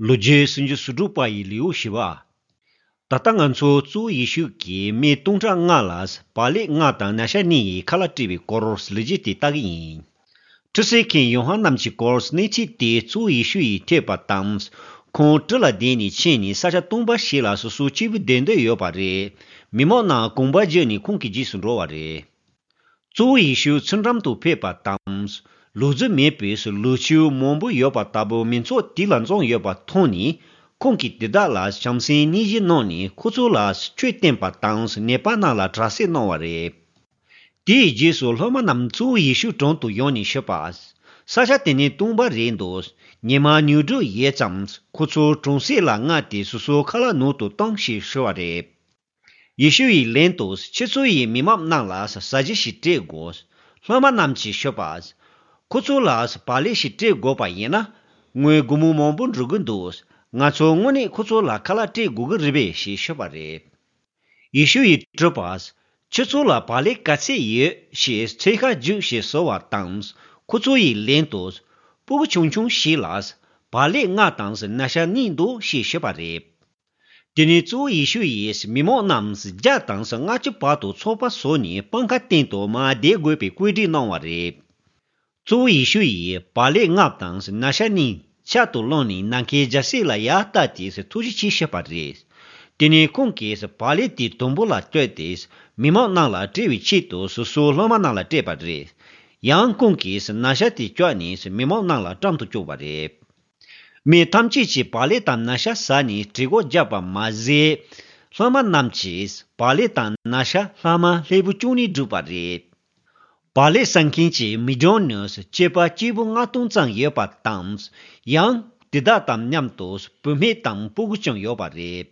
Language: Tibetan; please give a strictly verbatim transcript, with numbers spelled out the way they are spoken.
ལོ་རྒྱུས་སུམ་ཅུ་སོ་དྲུག་པ་ཡི་ལེའུ་བཞི་པ། ད་ལྟ་ང་ཚོ་གཙོ་བོ་ཡེ་ཤུ་གིས་མི་སྟོང་ཕྲག་ལྔ་ལ་བག་ལེབ་ལྔ་དང་ན་ཚ་གཉིས་ཡི་ཁ་ལག་སྤྲད་པའི་སྐོར་ལོ་རྒྱུས་དེ་ལྟ་གི་ཡིན། ཁྲུས་གསོལ་མཁན་ཡོ་ཧ་ནན་གྱི་སྐོར་གནས་ཚུལ་དེ་གཙོ་བོ་ཡེ་ཤུ་ཡིས་ཐོས་པ་དང་། ཁོང་གྲུ་ལ་བསྡད་ནས་ཕྱིན་ནས་ས་ཆ་སྟོང་པ་ཞིག་ལ་སོ་སོ་གཅིག་པུ་བསྡད་འདོད་ཡོད་པ་རེད། མི་མང་རྣམས་དགོངས་པ་བརྒྱུད་ནས་ཁོང་གི་རྗེས་སུ་འགྲོ་བ་རེད། གཙོ་བོ་ཡེ་ཤུ་ཚུལ་ཁྲིམས་དུ་ཕེབས་པ་དང་། ལུག་རྫི་མེད་པའི་ལུག་ཁྱུ་མང་པོ་ཡོད་པ་ལྟ་བུ་མི་ཚོགས་དེ་ལ་འཛོམས་ཡོད་པ་མཐོང་ནས། ཁོང་གིས་དེ་དག་ལ་བྱམས་སེམས་སྙིང་རྗེ་གནང་ནས་ཁོ་ཚོ་ལ་ཆོས་བསྟན་པ་དང་ནད་པ་རྣམས་ལ་དྲག་སྐྱེད་གནང་བ་རེད། དེའི་རྗེས་སུ་སློབ་མ་རྣམས་གཙོ་བོ་ཡེ་ཤུའི་དྲུང་དུ་ཡོང་ནས་ཞུས་པ། ས་ཆ་དེ་ནི་སྟོང་པ་རེད་འདུག་ཉི་མ་ཉི་དྲུག་ཡོད་ཙང་ཁོ་ཚོ་གྲོང་གསེབ་ལ་མངགས་ཏེ་སོ་སོའི་ཁ་ལག་ནང་དུ་བཏང་ཞེས་ཞུས་པ་རེད། ཡེ་ཤུ་ཡིས་ལན་དུ། ཁྱེད་ཚོ་ཡིས་མི་མང་རྣམས་ལ་ཟ་རྒྱུ་ཞིག་སྤྲད་དགོས། སློབ་མ་རྣམས་ཀྱིས་ཞུས་པ། ཁོ་ཚོ་ལ་བག་ལེབ་ཞིག་སྤྲད་དགོས་པ་ཡིན་ན། ངོས་སྒོར་མོ་མང་པོ་འགྲོ་གི་འདུག་ང་ཚོ་དངོས་གནས་ཁོ་ཚོ་ལ་ཁ་ལག་སྤྲད་དགོས་ཀྱི་རེད་པས་ཞེས་ཞུས་པ་རེད། ཡེ་ཤུ་ཡིས་དྲིས་པ། ཁྱེད་ཚོ་ལ་བག་ལེབ་ག་ཚད་ཡོད་ཅེས་ཚོད་དཔག་རྒྱུགས་ཞེས་ཟེར་བ་དང་། ཁོ་ཚོ་ཡིས་ལན་དུ། སྤུ་གུ་ཆུང་ཆུང་ཞིག་ལ་བག་ལེབ་ལྔ་དང་ན་ཚ་གཉིས་འདུག་ཞེས་ཞུས་པ་རེད། དེ་ནས་གཙོ་བོ་ཡེ་ཤུ་ཡིས་མི་མང་རྣམས་བརྒྱ་དང་ལྔ་བཅུ་བར་དུ་ཚོགས་པ་བཟོས་ནས་སྤང་ཁ་སྟེང་དུ་མར་བསྡད་དགོས་པའི་བཀོད་སྒྲིག་གནང་བ་རེད། གཙོ་བོ་ཡེ་ཤུ་ཡིས་བག་ལེབ་ལྔ་དང་ན་ཚ་གཉིས་ཕྱག་ཏུ་བླངས་ནས་ནམ་མཁའི་རྒྱལ་སྲིད་ལ་ཡར་བལྟས་ཏེ་ཐུགས་རྗེ་ཆེ་ཞུས་པ་རེད། དེ་ནས་ཁོང་གིས་བག་ལེབ་དེ་དུམ་བུ་ལ་བཏོན་ཏེ་མི་མང་རྣམས་ལ་སྤྲད་པའི་ཆེད་དུ་སོ་སོའི་སློབ་མ་རྣམས་ལ་སྤྲད་པ་རེད། ཡང་ཁོང་གིས་ན་ཚ་དེ་བཀྱགས་ནས་མི་མང་རྣམས་ལ་སྤྲད་དུ་བཅུག་པ་རེད། མི་ཐམས་ཅད་ཀྱིས་བག་ལེབ་དང་ན་ཚ་ཟ་ནས་གྲི་གུ་བརྒྱབ་པ་མ་ཟད། སློབ་མ་རྣམས་ཀྱིས་བག་ལེབ་དང་ན་ཚ་ལྷག་མ་ལྷུག་པོ་བཅུག་ནས་བསྒྲིགས་པ་རེད། བག་ལེབ་ཟ་མཁན་གྱི་མི་གྲངས་ནི་སྐྱེས་པ་སྐྱེས་བུ་ལྔ་སྟོང་ཙམ་ཡོད་པ་དང་། ཡང་དེ་དག་དང་མཉམ་དུ་བུད་མེད་དང་སྤུ་གུ་ཀྱང་ཡོད་པ་རེད།